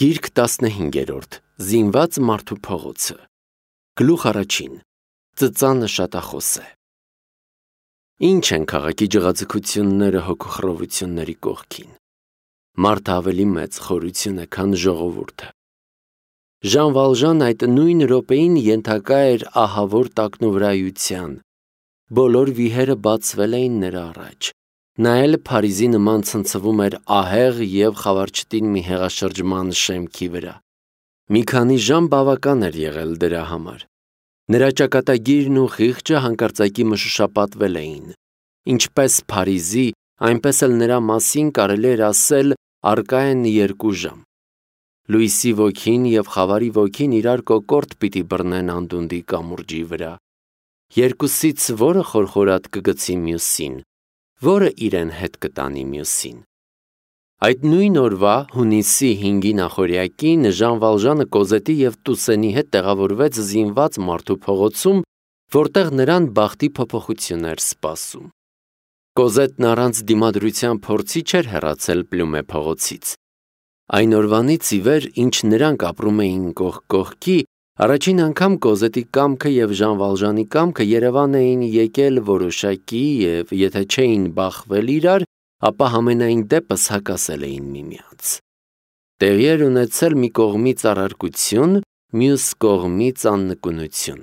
Գիրք 15-րդ Զինված մարդու փողոցը Գլուխ առաջին Ծծանը շատախոս է Ինչ են քաղաքի ջղաձգությունները հոգուխռովությունների կողքին Մարդը ավելի մեծ խորություն է, քան ժողովուրդը Ժան Վալժան այդ նույն րոպեին ենթակա էր ահավոր տակնովրայության Բոլոր վիհերը բացվել էին նրա առաջ Նա էլ Փարիզի նման ցնցվում էր ահեղ և խավարչտին մի հեղաշրջման շեմքի վրա Մի քանի ժամ բավական էր եղել դրա համար Նրա ճակատագիրն ու խիղճը հանկարծակի մշուշապատվել էին Ինչպես Փարիզի, այնպես էլ նրա մասին կարելի էր ասել առկա են 2 ժամ Լույսի ոգին և խավարի ոգին իրար կոկորդ պիտի բռնեն անդունդի կամուրջի վրա Երկուսից որը խորխորատ կգցի մյուսին Որը իրեն հետ կտանի մյուսին Այդ նույն օրվա հունիսի 5-ի նախօրյակին Ժան Վալժանը Կոզետի և Տուսենի հետ տեղավորվեց զինված մարդու փողոցում, որտեղ նրան բախտի փոփոխություն էր սպասում Կոզետն առանց դիմադրության փորձի չէր հեռացել Պլյումե փողոցից Այն օրվանից ի վեր, ինչ նրանք ապրում էին կողք կողքի, առաջին անգամ Կոզետի կամքը և Ժան Վալժանի կամքը Երևան էին եկել որոշակի և եթե չէին բախվել իրար, ապա համենայն դեպս հակասել էին միմյանց Տեղի էր ունեցել մի կողմից առարկություն, մյուս կողմից աննկունություն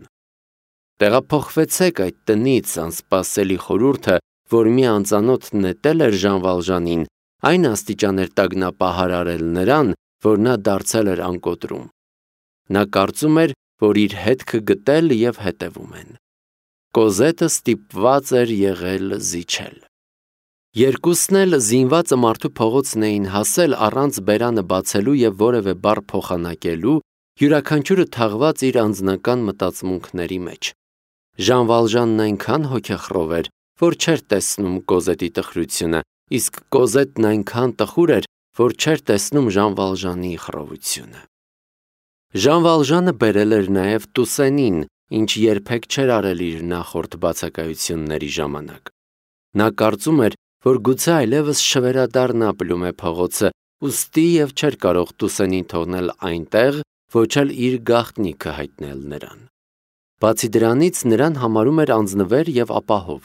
Տեղափոխվեցեք այդ տնից անսպասելի խորհուրդը, որ մի անծանոթ նետել էր Ժան Վալժանին, այն աստիճան էր տագնապահար արել նրան, որ նա դարձել էր անկոտրում Նա կարծում էր, որ իր հետքը գտել և հետևում են Կոզետը ստիպված էր եղել զիջել Երկուսն էլ զինվածը մարդու փողոցն էին հասել առանց բերանը բացելու և որևէ բառ փոխանակելու, յուրաքանչյուրը թաղված իր անձնական մտածմունքների մեջ Ժան Վալժանն այնքան հոգեխռով էր, որ չէր տեսնում Կոզետի տխրությունը, իսկ Կոզետն այնքան տխուր էր, որ չէր տեսնում Ժան Վալժանի խռովությունը Ժան Վալժանը բերել էր նաև Տուսենին, ինչ երբեք չէր արել իր նախորդ բացակայությունների ժամանակ Նա կարծում էր, որ գուցե այլևս չվերադառնա Պլյումե փողոցը, ուստի և չէր կարող Տուսենին թողնել այնտեղ, ոչ էլ իր գաղտնիքը հայտնել նրան Բացի դրանից նրան համարում էր անձնվեր և ապահով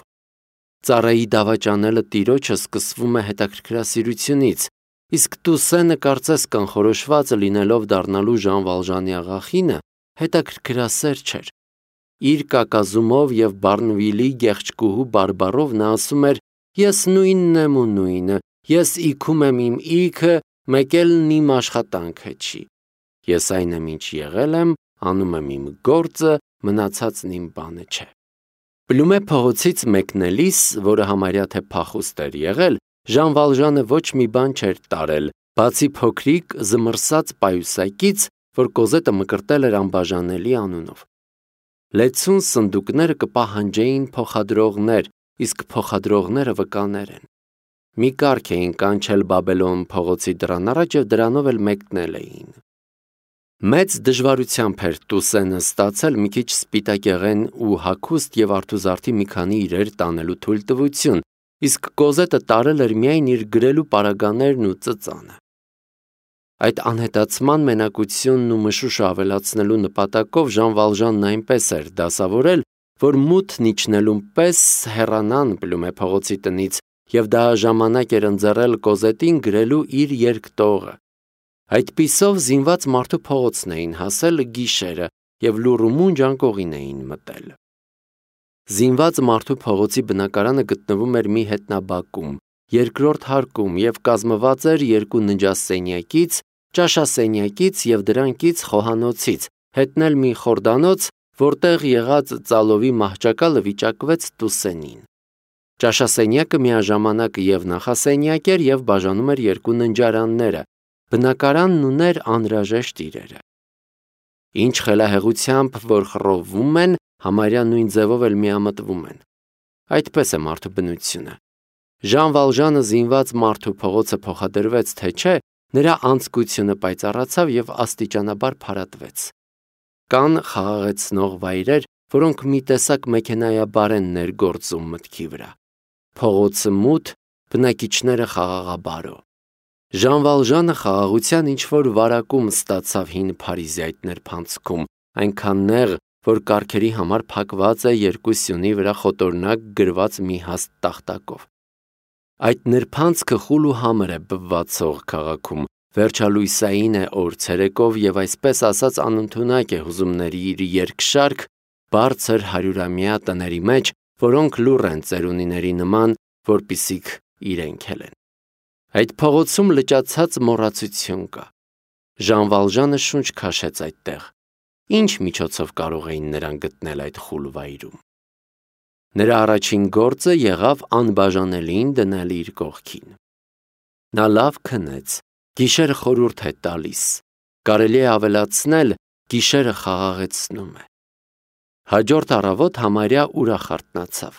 Ծառայի դավաճանելը տիրոջը սկսվում է հետաքրքրասիրությունից Իսկ Տուսենը կարծես կանխորոշված լինելով դառնալու Ժան Վալժանի աղախինը, հետաքրքրասեր չէր Իր կակազումով և Բարնվիլի գեղեցկուհու բարբառով նա ասում էր Ես նույնն եմ ու նույնը, ես իքում եմ իմ իքը, մեկ էլ իմ աշխատանքը չի Ես այն եմ ինչ եղել եմ, անում եմ իմ գործը, մնացածն իմ բանը չէ Պլյումե փողոցից մեկնելիս, որը համարյա թե փախուստ էր եղել, Ժան Վալժանը ոչ մի բան չէր տարել, բացի փոքրիկ զմռսած պայուսակից, որ Կոզետը մկրտել էր անբաժանելի անունով Լեցուն սնդուկները կպահանջեին փոխադրողներ, իսկ փոխադրողները վկաներ են Մի կառք էին կանչել Բաբելոն փողոցի դռան առաջ և դրանով էլ մեկնել էին Մեծ դժվարությամբ էր Տուսենը ստացել մի քիչ սպիտակեղեն ու հագուստ և արթուզարդի մի քանի իրեր տանելու թույլտվություն, իսկ Կոզետը տարել էր միայն իր գրելու պարագաներն ու ծծանը Այդ անհետացման մենակությունն ու մշուշը ավելացնելու նպատակով Ժան Վալժանն այնպես էր դասավորել, որ մութն իջնելուն պես հեռանան Պլյումե փողոցի տնից և դա ժամանակ էր ընձեռել Կոզետին գրելու իր երկտողը Այդպիսով զինված մարդու փողոցն էին հասել գիշերը և լուռ ու մունջ անկողին էին մտել Զինված մարդու փողոցի բնակարանը գտնվում էր մի հետնաբակում, երկրորդ հարկում և կազմված էր 2 ննջասենյակից, ճաշասենյակից և դրանքից խոհանոցից, հետն էլ մի խորդանոց, որտեղ եղած ծալովի մահճակալը վիճակվեց Տուսենին Ճաշասենյակը միաժամանակ և նախասենյակ էր և բաժանում էր 2 ննջարանները, բնակարանն ուներ անհրաժեշտ իրերը Ինչ խելահեղությամբ որ խռովվում են, համարյա նույն ձևով էլ միամտվում են Այդպես է մարդու բնությունը Ժան Վալժանը զինված մարդու փողոցը փոխադրվեց թե չէ, նրա անձկությունը պայծառացավ և աստիճանաբար փարատվեց Կան խաղաղեցնող վայրեր, որոնք մի տեսակ մեքենայաբար են ներգործում մտքի վրա Փողոցը մութ, բնակիչները խաղաղաբարո Ժան Վալժանը խաղաղության ինչ-որ վարակում ստացավ հին Փարիզի այդ նրբանցքում, այնքան նեղ, որ կառքերի համար փակված է երկու սյունի վրա խոտորնակ գրված մի հաստ տախտակով։ Այդ նրբանցքը խուլ ու համր է բվացող քաղաքում, վերջալույսային է օր ցերեկով եւ այսպես ասած անընդունակ է հուզումների իր երկշարք բարձր հարյուրամյա տների մեջ, որոնք լուռ են ծերունիների նման, որպիսիք իրենք են։ Այդ փողոցում լճացած մոռացություն կա։ Ժան Վալժանը շունչ քաշեց այդտեղ։ Ինչ միջոցով կարող էին նրան գտնել այդ խուլ վայրում։ Նրա առաջին գործը եղավ անբաժանելին դնել իր կողքին։ Նա լավ քնեց, գիշերը խորհուրդ է տալիս, կարելի է ավելացնել, գիշերը խաղաղեցնում է։ Հաջորդ առավոտ համարյա ուրախ արթնացավ։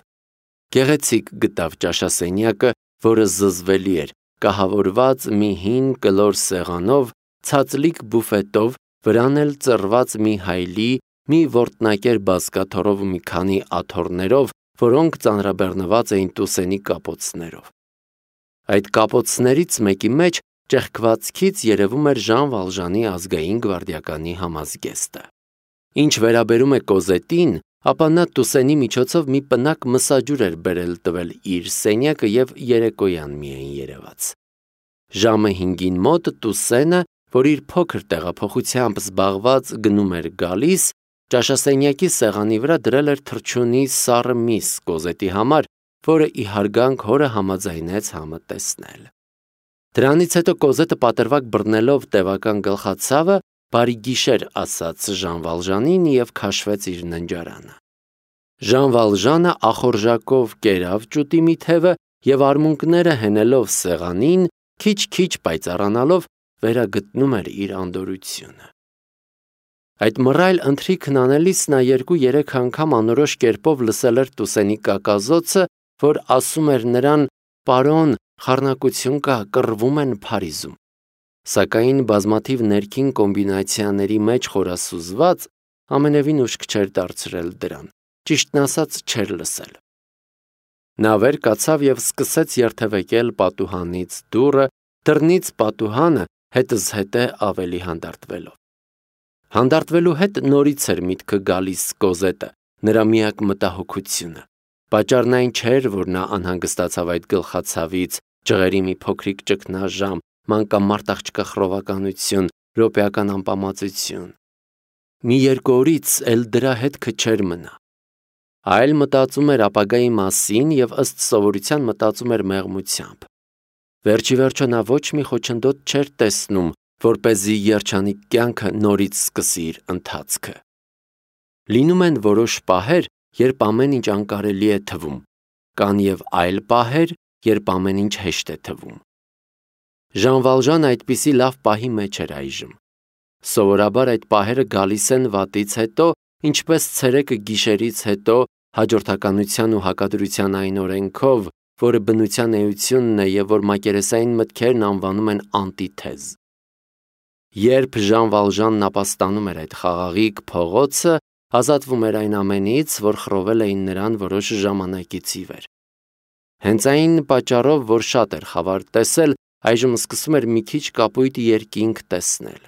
Գեղեցիկ գտավ ճաշասենյակը, որը զզվելի էր, կահավորված մի հին կլոր սեղանով, ցածլիկ բուֆետով, վրան էլ ծռված մի հայլի, մի որտնակեր բազկաթոռով ու մի քանի աթոռներով, որոնք ծանրաբեռնված էին տուսենի կապոցներով։ Այդ կապոցներից մեկի մեջ ճեղքվածքից երևում էր Ժան Վալժանի ազգային գվարդիականի համազգեստը։ Ինչ վերաբերում է Կոզետին, ապա նա տուսենի միջոցով մի պնակ մսաջուր էր բերել տվել իր սենյակը եւ երեկոյան միայն երևաց։ Ժամը 5-ին մոտ Տուսենը, որ իր փոքր տեղափոխությամբ զբաղված գնում էր գալիս, ճաշասենյակի սեղանի վրա դրել էր թռչունի սառը միս Կոզետի համար, որը ի հարգանք հորը համաձայնեց համը տեսնել։ Դրանից հետո Կոզետը պատրվակ բռնելով տևական գլխացավը, բարի գիշեր ասաց Ժան Վալժանին եւ քաշվեց իր ննջարանը։ Ժան Վալժանը ախորժակով կերավ ճուտի մի թևը եւ արմունկները հենելով սեղանին, քիչ-քիչ պայծառանալով վերագտնում էր իր անդորությունը։ Այդ մռայլ ընթրիքն անելիս նա 2-3 անգամ անորոշ կերպով լսել էր Տուսենի կակազոցը, որ ասում էր նրան. «Պարոն, խառնակություն կա, կռվում են Փարիզում»։ Սակայն բազմաթիվ ներքին կոմբինացիաների մեջ խորասուզված ամենևին ուշք չէր դարձրել դրան, ճիշտն ասած չէր լսել։ Նա վեր կացավ եւ սկսեց երթևեկել պատուհանից դուռը, դռնից պատուհանը հետզհետե ավելի հանդարտվելով։ Հանդարտվելու հետ նորից էր միտքը գալիս Կոզետը, նրա միակ մտահոգությունը։ Պատճառն այն չէր, որ նա անհանգստացավ այդ գլխացավից, ջղերի մի փոքրիկ ճգնաժամ, մանկամարտ աղջկա խռովականություն, րոպեական անպամացություն։ Մի երկու օրից էլ դրա հետքը չէր մնա։ Այլ մտածում էր ապագայի մասին եւ ըստ սովորության մտածում էր մեղմությամբ։ Վերջի վերջո նա ոչ մի խոչընդոտ չէր տեսնում, որպեսզի երջանիկ կյանքը նորից սկսի իր ընթացքը։ Լինում են որոշ պահեր, երբ ամեն ինչ անկարելի է թվում, կան եւ այլ պահեր, երբ ամեն ինչ հեշտ է թվում։ Ժան Վալժանը այդպիսի լավ պահի մեջ էր այժմ։ Սովորաբար այդ պահերը գալիս են վատից հետո, ինչպես ցերեկը գիշերից հետո, հաջորդականության ու հակադրության այն օրենքով, որը բնության էությունն է եւ որ մակերեսային մտքերն անվանում են անտիթեզ։ Երբ Ժան Վալժանն ապաստանում էր այդ խաղաղիկ փողոցը, ազատվում էր այն ամենից, որ խռովել էին նրան որոշ ժամանակից ի վեր։ Հենց այն պատճառով, որ շատ էր խավար տեսել, այժմ սկսում էր մի քիչ կապույտ երկինք տեսնել։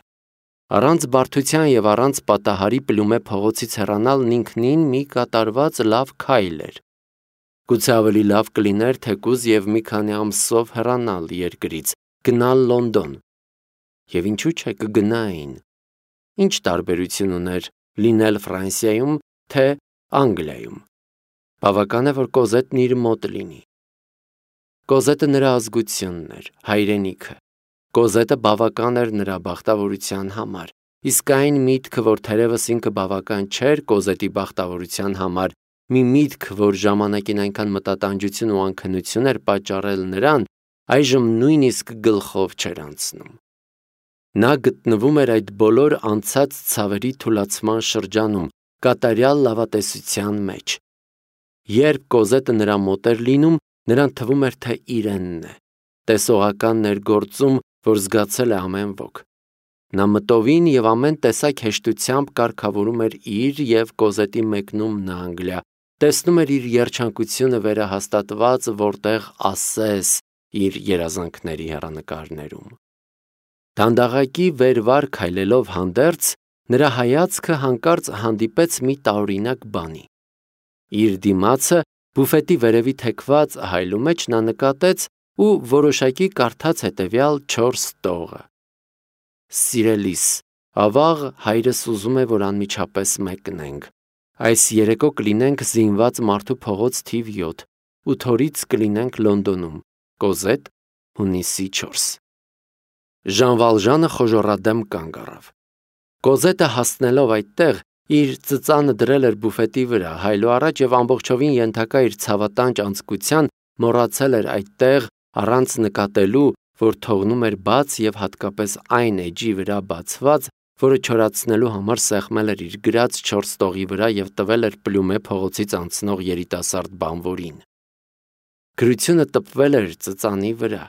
Առանց բարդության եւ առանց պատահարի Պլումե փողոցից հեռանալն ինքնին մի կատարված լավ քայլ էր։ Գուցե ավելի լավ կլիներ թեկուզ եւ մի քանի ամսով հեռանալ երկրից, գնալ Լոնդոն։ Եվ ինչու՞ չէ կգնային։ Ինչ տարբերություն ուներ լինել Ֆրանսիայում, թե Անգլիայում։ Բավական է, որ Կոզետն իր մոտ լինի։ Կոզետը նրա ազգությունն էր, հայրենիքը։ Կոզետը բավական էր նրա բախտավորության համար, իսկ այն միտքը, որ թերևս ինքը բավական չէր Կոզետի բախտավորության համար, մի միտք, որ ժամանակին այնքան մտատանջություն ու անքնություն էր պատճառել նրան, այժմ նույնիսկ գլխով չէր անցնում։ Նա գտնվում էր այդ բոլոր անցած ցավերի թուլացման շրջանում, կատարյալ լավատեսության մեջ։ Երբ Կոզետը նրա մոտ էր լինում, նրան թվում էր, թե իրենն է, տեսողական ներգործում, որ զգացել է ամեն ոք։ Նա մտովին եւ ամեն տեսակ հեշտությամբ կարգավորում էր իր եւ Կոզետի մեկնումն Անգլիա, տեսնում էր իր երջանկությունը վերահաստատված որտեղ ասես իր երազանքների հեռանկարներում։ Դանդաղակի վերվար քայլելով հանդերձ, նրա հայացքը հանկարծ հանդիպեց մի տարօրինակ բանի։ Իր դիմացը բուֆետի վերևի թեքված հայլու մեջ նա նկատեց ու որոշակի կարդաց հետևյալ 4 տողը. «Սիրելիս, ավաղ հայրս ուզում է, որ անմիջապես մեկնենք։ Այս երեկո կլինենք Զինված մարդու փողոց թիվ 7, 8 օրից կլինենք Լոնդոնում, Կոզետ, հունիսի 4»։ Ժան Վալժանը խոժոռադեմ կանգ առավ։ Կոզետը հասնելով այդտեղ, իր ծծանը դրել էր բուֆետի վրա, հայլու առաջ և ամբողջովին ենթակա իր ցավատանջ անձկության, մոռացել էր այդտեղ, առանց նկատելու, որ թողնում էր բաց և հատկապես այն էջի վրա բացված, որը չորացնելու համար սեղմել էր իր գրած 4 տողի վրա և տվել էր Պլյումե փողոցից անցնող երիտասարդ բանվորին։ Գրությունը տպվել էր ծծանի վրա,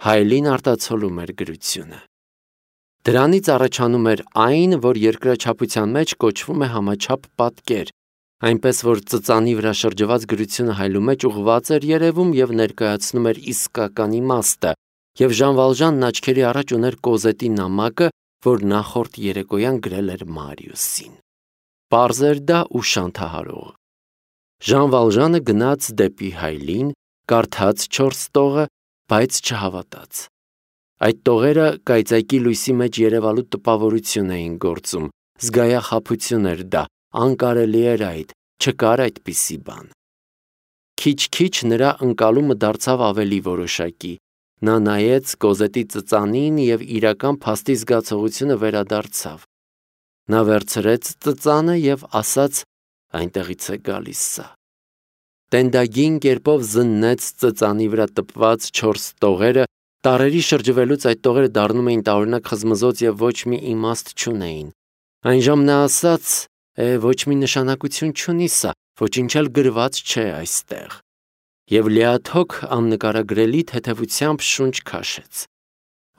հայելին արտացոլում էր գրությունը։ Դրանից առաջանում էր այն, որ երկրաչափության մեջ կոչվում է համաչափ պատկեր, այնպես որ ծծանի վրա շրջված գրությունը հայլու մեջ ուղղված էր երևում և ներկայացնում էր իսկական իմաստը, և Ժան Վալժանն աչքերի առաջ ուներ Կոզետի նամակը, որ նախորդ երեկոյան գրել էր Մարիուսին։ Պարզ էր դա ու շանթահարող։ Ժան Վալժանը գնաց դեպի հայլին, կարդաց 4 տողը, բայց չհավատաց։ Այդ տողերը կայծակի լույսի մեջ երևալու տպավորություն էին գործում, զգայախաբություն էր դա, անկարելի էր այդ, չկար այդպիսի բան։ Քիչ-քիչ նրա ընկալումը դարձավ ավելի որոշակի։ Նա նայեց Կոզետի ծծանին և իրական փաստի զգացողությունը վերադարձավ։ Նա վերցրեց ծծանը և ասաց. «Այնտեղից է գալիս սա»։ Տենդագին կերպով զննեց ծծանի վրա տպված 4 տողերը, տարերի շրջվելուց այդ տողերը դառնում էին տարօրինակ խզմզոց և ոչ մի իմաստ չունեին։ Այնժամ նա ասաց. «Ոչ մի նշանակություն չունի սա, ոչինչ էլ գրված չէ այստեղ» և լիաթոք աննկարագրելի թեթևությամբ շունչ քաշեց։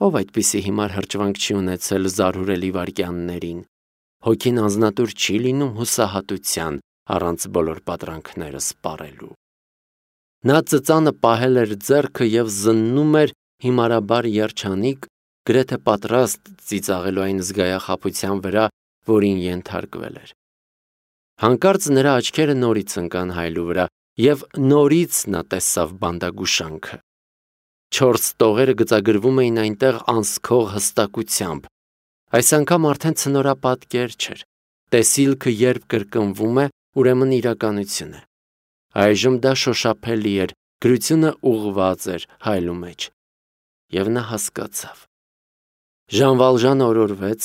Ով այդպիսի հիմար հրճվանք չի ունեցել զարհուրելի վայրկյաններին։ Հոգին անձնատուր չի լինում հուսահատության, առանց բոլոր պատրանքները սպառելու։ Նա ծծանը պահել էր ձեռքը և զննում էր հիմարաբար երջանիկ, գրեթե պատրաստ ծիծաղելու այն զգայախաբության վրա, որին ենթարկվել էր։ Հանկարծ նրա աչքերը նորից ընկան հայլու վրա, և նորից նա տեսավ բանդագուշանքը։ 4 տողերը գծագրվում էին այնտեղ անսքող հստակությամբ։ Այս անգամ արդեն ցնորապատկեր չէր։ Տեսիլքը երբ կրկնվում է, ուրեմն իրականություն է։ Այժմ դա շոշափելի էր, գրությունը ուղղված էր հայլու մեջ։ Եվ նա հասկացավ։ Ժան Վալժանը օրորվեց,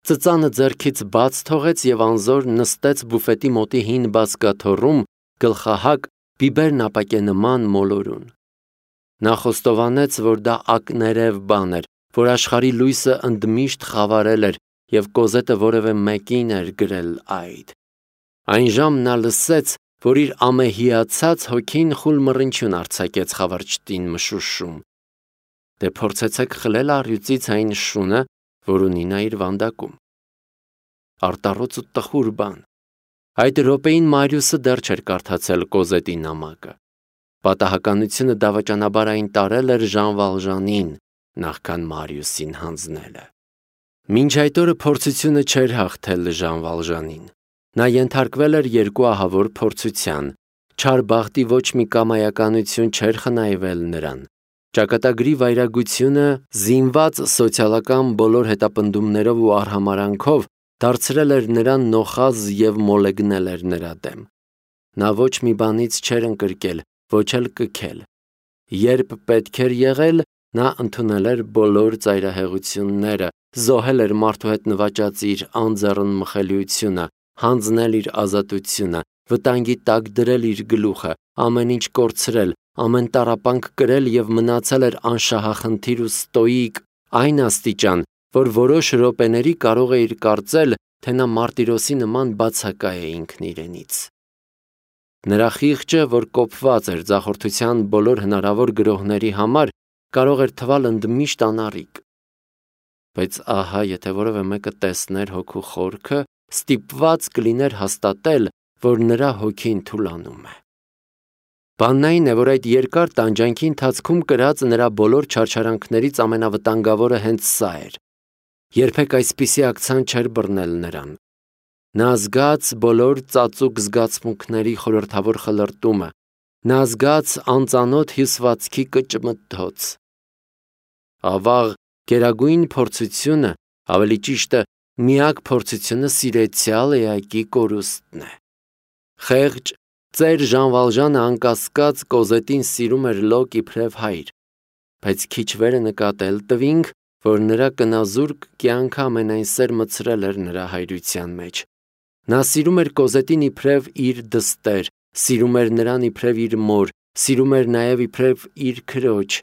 ծծանը ձեռքից բաց թողեց և անզոր նստեց բուֆետի մոտի հին բազկաթոռում, գլխահակ, բիբերն ապակենման մոլորուն։ Նա խոստովանեց, որ դա ակներև բան էր, որ աշխարհի լույսը ընդմիշտ խավարել էր և Կոզետը որևէ մեկին էր գրել այդ։ Այնժամ նա լսեց, որ իր ամեհիացած հոգին խուլ մռնչյուն արձակեց խավարճտին մշուշում։ Դե փորձեցեք խլել առյուծից այն շունը, որ ունի նա իր վանդակում։ Արտառոց ու տխուր բան։ Այդ րոպեին Մարիուսը դեռ չէր կարդացել Կոզետի նամակը։ Պատահականությունը դավաճանաբար այն տարել էր Ժան Վալժանին, նախքան Մարիուսին հանձնելը։ Մինչ այդ օրը փորձությունը չէր հաղթել Ժան Վալժանին։ Նա ենթարկվել էր 2 ահավոր փորձության։ Չար բախտի ոչ մի կամայականություն չէր խնայվել նրան։ Ճակատագրի վայրագությունը, զինված սոցիալական բոլոր հետապնդումներով ու արհամարհանքով, դարձրել էր նրան նոխազ և մոլեգնել էր նրա դեմ։ Նա ոչ մի բանից չէր ընկրկել, ոչ էլ կքել։ Երբ պետք էր եղել, նա ընդունել էր բոլոր ծայրահեղությունները, զոհել էր մարդու հետ նվաճած իր անձեռն մխելիությունը, հանձնել իր ազատությունը, վտանգի տակ դրել իր գլուխը, ամեն ինչ կորցրել, ամեն տառապանք կրել և մնացել էր անշահախնդիր ու ստոիկ այն աստիճան, որ որոշ րոպեների կարող էիր կարծել, թե նա մարտիրոսի նման բացակա է ինքն իրենից։ Նրա խիղճը, որ կոփված էր ձախորդության բոլոր հնարավոր գրոհների համար, կարող էր թվալ ընդմիշտ անառիկ։ Բայց ահա, եթե որևէ մեկը տեսներ հոգու խորքը, ստիպված կլիներ հաստատել, որ նրա հոգին թուլանում է։ Բանն այն է, որ այդ երկար տանջանքի ընթացքում կրած նրա բոլոր չարչարանքներից ամենավտանգավորը հենց սա էր։ Երբեք այսպիսի ակցան չէր բռնել նրան։ Նա զգաց բոլոր ծածուկ զգացմունքների խորհրդավոր խլրտումը, նա զգաց անծանոթ հյուսվածքի կճմթոց։ Ավաղ գերագույն փորձությունը, ավելի ճիշտը, միակ փորձությունը սիրեցյալ էակի կորուստն է։ Խեղճ ծեր Ժան Վալժանը անկասկած Կոզետին սիրում էր լոկ իբրև հայր, բայց քիչ վերը նկատել տվինք, որ նրա կնազուրկ կյանքը ամենայն սեր մցրել էր նրա հայրության մեջ։ Նա սիրում էր Կոզետին իբրև իր դստեր, սիրում էր նրան իբրև իր մոր, սիրում էր նաև իբրև իր քրոջ,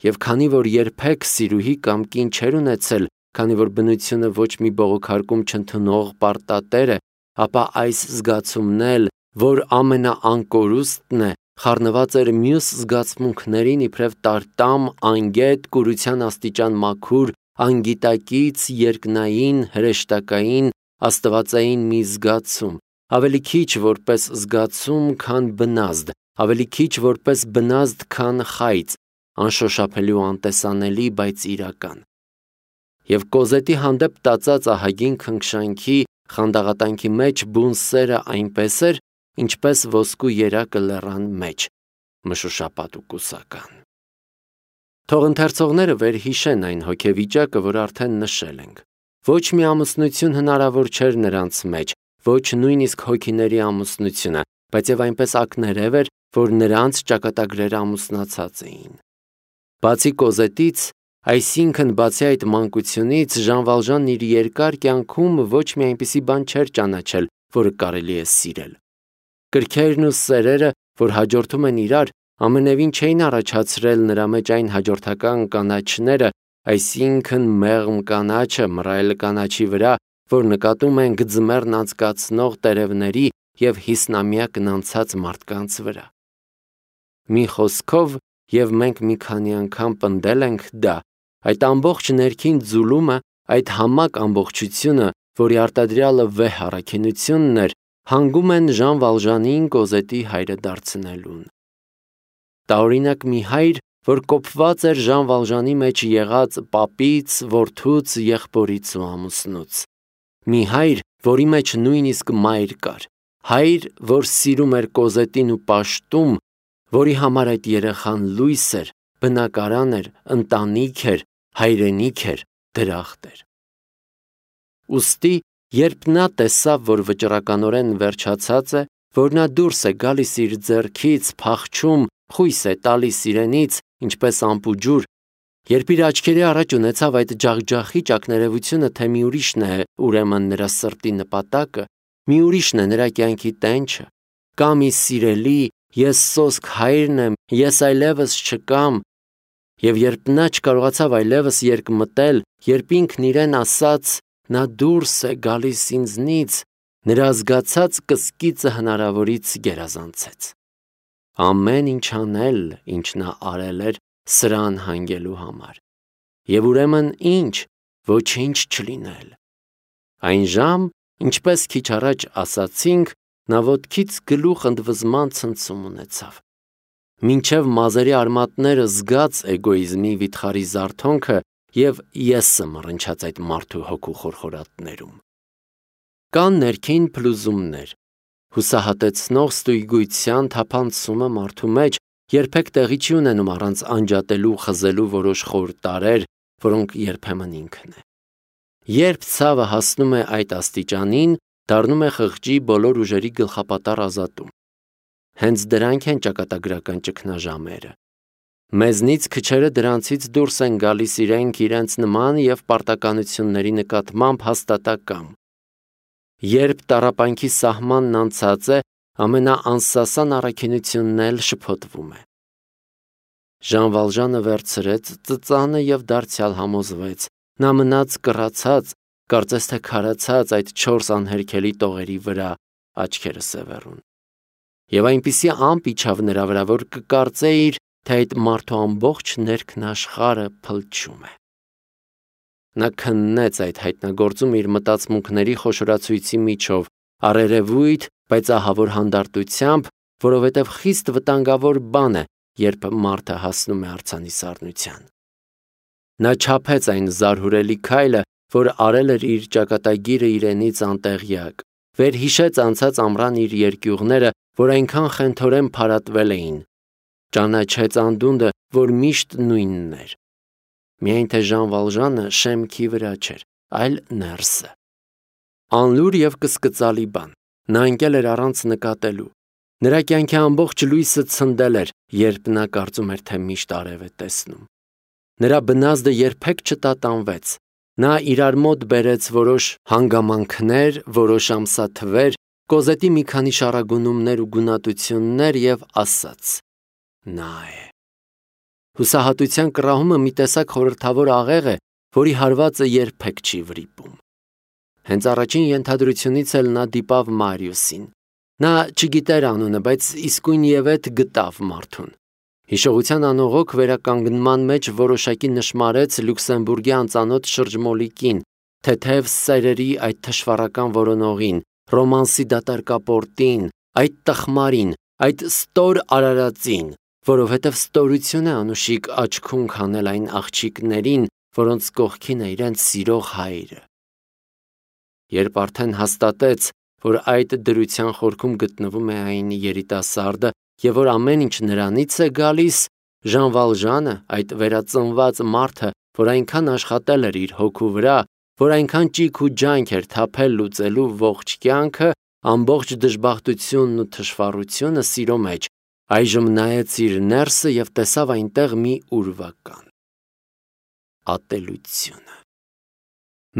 եւ քանի որ երբեք սիրուհի կամ կին չէր ունեցել, քանի որ բնությունը ոչ մի բողոքարկում չընդունող պարտատեր է, ապա այս զգացումն էլ, որ ամենաանկորուստն է, խառնված էր մյուս զգացմունքներին իբրև տարտամ, անգետ, կուրության աստիճան մաքուր, անգիտակից, երկնային, հրեշտակային, աստվածային մի զգացում, ավելի քիչ որպես զգացում, քան բնազդ, ավելի քիչ որպես բնազդ, քան խայծ, անշոշափելի ու անտեսանելի, բայց իրական։ Եվ Կոզետի հանդեպ տածած ահագին քնքշանքի, խանդաղատանքի մեջ բուն սերը այնպես էր, ինչպես ոսկու երակը լեռան մեջ, մշուշապատ ու կուսական։ Թող ընթերցողները վերհիշեն այն հոգեվիճակը, որ արդեն նշել ենք։ Ոչ մի ամուսնություն հնարավոր չէր նրանց մեջ, ոչ նույնիսկ հոգիների ամուսնությունը, բայց եւ այնպես ակներև էր, որ նրանց ճակատագրերը ամուսնացած էին։ Բացի Կոզետից, այսինքն բացի այդ մանկությունից, Ժան Վալժանն իր երկար կյանքում ոչ մի այնպիսի բան չէր ճանաչել, որը կարելի է սիրել։ Կրքերն ու սերերը, որ հաջորդում են իրար, ամենևին չէին առաջացրել նրա մեջ այն հաջորդական կանաչները, այսինքն մեղմ կանաչը մռայլ կանաչի վրա, որ նկատում ենք ձմեռն անցկացնող տերևների և հիսնամյակն անցած մարդկանց վրա։ Մի խոսքով, և մենք մի քանի անգամ պնդել ենք դա, այդ ամբողջ ներքին ձուլումը, այդ համակ ամբողջությունը, որի արտադրյալը վեհ առաքինությունն էր, հանգում են Ժան Վալժանին Կոզետի հայրը դարձնելուն։ Տարօրինակ մի հայր, որ կոփված էր Ժան Վալժանի մեջ եղած պապից, որդուց, եղբորից ու ամուսնուց։ Մի հայր, որի մեջ նույնիսկ մայր կար, հայր, որ սիրում էր Կոզետին ու պաշտում, որի համար այդ երեխան լույս էր, բնակարան էր, ընտանիք էր, հայրենիք էր, դրախտ էր։ Ուստի, երբ նա տեսավ, որ վճռականորեն վերջացած է, որ նա դուրս է գալիս իր ձեռքից, փախչում, խույս է տալիս իրենից, ինչպես ամպուջուր, երբ իր աչքերի առաջ ունեցավ այդ ջախջախիչ ակներևությունը, թե մի ուրիշն է ուրեմն նրա սրտի նպատակը, մի ուրիշն է նրա կյանքի տենչը, կամ ի սիրելի, ես սոսկ հայրն եմ, ես այլևս չկամ, եւ երբ նա չկարողացավ այլևս երկմտել, երբ ինքն իրեն ասաց, նա դուրս է գալիս ինձնից, նրա զգացած կսկիծը հնարավորից գերազանցեց։ Ամեն ինչ անել, ինչ նա արել էր սրան հանգելու համար։ Եվ ուրեմն ինչ, ոչինչ չլինել։ Այն ժամ, ինչպես քիչ առաջ ասացինք, նա ոտքից գլուխ ընդվզման ցնցում ունեցավ։ Մինչև մազերի արմատները զգաց էգոիզմի վիթխարի զարթոնքը և եսը մռնչաց այդ մարդու հոգու խորխորատներում։ Կան ներքին փլուզումներ, հուսահատեցնող ստույգույթյան թափանցումը մարդու մեջ երբեք տեղի չի ունենում առանց անջատելու, խզելու որոշ խոր տարրեր, որոնք երբեմն ինքն է։ Երբ ցավը հասնում է այդ աստիճանին, դառնում է խղճի բոլոր ուժերի գլխապատառ ազատում։ Հենց դրանք են ճակատագրական ճգնաժամերը։ Մեզնից քչերը դրանցից դուրս են գալիս իրենց նման և պարտականությունների նկատմամբ հաստատակամ։ Երբ տառապանքի սահմանն անցած է, ամենաանսասան առաքինությունն էլ շփոթվում է։ Ժան Վալժանը վերցրեց ծծանը և դարձյալ համոզվեց, նա մնաց կռացած, կարծես թե քարացած այդ 4 անհերքելի տողերի վրա, աչքերը սևեռուն։ Եվ այնպիսի ամպ իջավ նրա վրա, որ կկարծեիր, թե այդ մարդու ամբողջ ներքն աշխարհը փլչում է։ Նա քննեց այդ հայտնագործում իր մտածմունքների խոշորացույցի միջով, առերևույթ, բայց ահավոր հանդարտությամբ, որովհետև խիստ վտանգավոր բան է, երբ մարդը հասնում է արձանի սառնության։ Նա չափեց այն զարհուրելի քայլը, որ արել էր իր ճակատագիրը իրենից անտեղյակ, վերհիշեց անցած ամռան իր երկյուղները, որ այնքան խենթորեն փարատվել էին, ճանաչեց անդունդը, որ միշտ նույնն էր։ Միայն թե Ժան Վալժանը շեմքի վրա չէր, այլ ներսը։ Անլուր և կսկծալի բան, նա ընկել էր առանց նկատելու։ Նրա կյանքի ամբողջ լույսը ցնդել էր, երբ նա կարծում էր, թե միշտ արև է տեսնում։ Նրա բնազդը երբեք չտատանվեց։ Նա իրար մոտ բերեց որոշ հանգամանքներ, որոշ ամսաթվեր, կոզետի մի քանի շառագունումներ ու գունատություններ և ասաց. նա է։ Հուսահատության կռահումը մի տեսակ խորհրդավոր աղեղ է, որի հարվածը երբեք չի վրիպում։ Հենց առաջին ենթադրությունից էլ նա դիպավ Մարիուսին։ Նա չգիտեր անունը, բայց իսկույնևեթ գտավ մարդուն։ Հիշողության անողոք վերականգնման մեջ որոշակի նշմարեց Լյուքսեմբուրգի անծանոթ շրջմոլիկին, թեթև սերերի այդ թշվառական որոնողին, ռոմանսի դատարկապորտին, այդ տխմարին, այդ ստոր արարածին, որովհետև ստորություն է անուշիկ աչքում քանել այն աղջիկներին, որոնց կողքին է իրենց սիրող հայրը։ Երբ արդեն հաստատեց, որ այդ դրության խորքում գտնվում է այն երիտասարդը և որ ամեն ինչ նրանից է գալիս, Ժան Վալժանը, այդ վերածնված մարդը, որ այնքան աշխատել էր իր հոգու վրա, որ այնքան ճիգ ու ջանք էր թափել լուծելու ողջ կյանքը, ամբողջ դժբախտությունն ու թշվառությունը սիրո մեջ, այժմ նայեց իր ներսը և տեսավ այնտեղ մի ուրվական ատելությունը։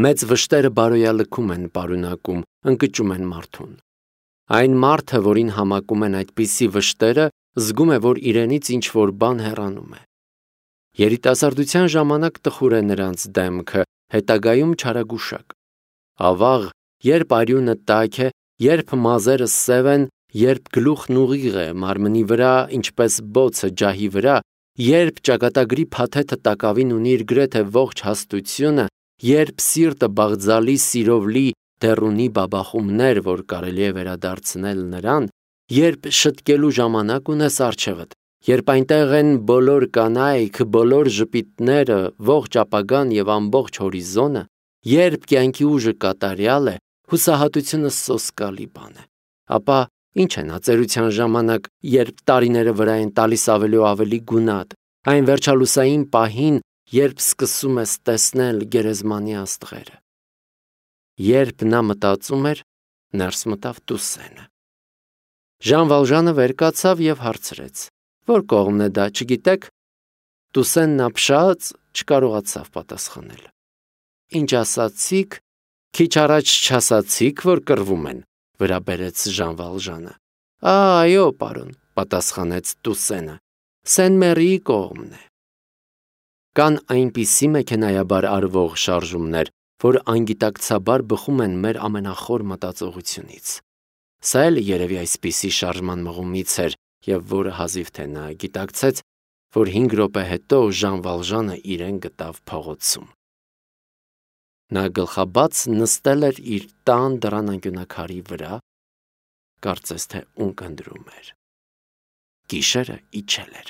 Մեծ վշտերը բարոյալքում են պարունակում, ընկճում են մարդուն։ Այն մարդը, որին համակում են այդպիսի վշտերը, զգում է, որ իրենից ինչ-որ բան հեռանում է։ Երիտասարդության ժամանակ տխուր է նրանց դեմքը, հետագայում չարագուշակ։ Ավաղ, երբ արյունը տաք է, երբ մազերը սև են, երբ գլուխն ուղիղ է մարմնի վրա, ինչպես բոցը ջահի վրա, երբ ճակատագրի փաթեթը տակավին ունի իր գրեթե ողջ հաստությունը, երբ սիրտը բաղձալի սիրով լի դեռ ունի բաբախումներ, որ կարելի է վերադարձնել նրան, երբ շտկելու ժամանակ ունես առջևդ, երբ այնտեղ են բոլոր կանայք, բոլոր ժպիտները, ողջ ապագան և ամբողջ հորիզոնը, երբ կյանքի ուժը կատարյալ է, հուսահատությունը սոսկալի բան է, ապա ինչ է նա ծերության ժամանակ, երբ տարիները վրա են տալիս ավելի ու ավելի գունատ, այն վերջալուսային պահին, երբ սկսում ես տեսնել գերեզմանի աստղերը։ Երբ նա մտածում էր, ներս մտավ Տուսենը։ Ժան Վալժանը վեր կացավ և հարցրեց. Որ կողմն է դա, չգիտեք։ Տուսենն ապշած չկարողացավ պատասխանել։ Ինչ ասացիք, քիչ առաջ չասացիք, որ կռվում են, վրա բերեց Ժան Վալժանը։ Այո, պարոն, պատասխանեց Տուսենը, Սեն-Մերիի կողմն է։ Կան այնպիսի մեքենայաբար արվող շարժումներ, որ անգիտակցաբար բխում են մեր ամենախոր մտածողությունից։ Սա էլ երևի այսպիսի շարժման մղումից էր, և որը հազիվ թե նա գիտակցեց, որ 5 րոպե հետո Ժան Վալժանը իրեն գտավ փողոցում։ Նա գլխաբաց նստել էր իր տան դռան անկյունաքարի վրա, կարծես թե ունկնդրում էր։ Գիշերը իջել էր։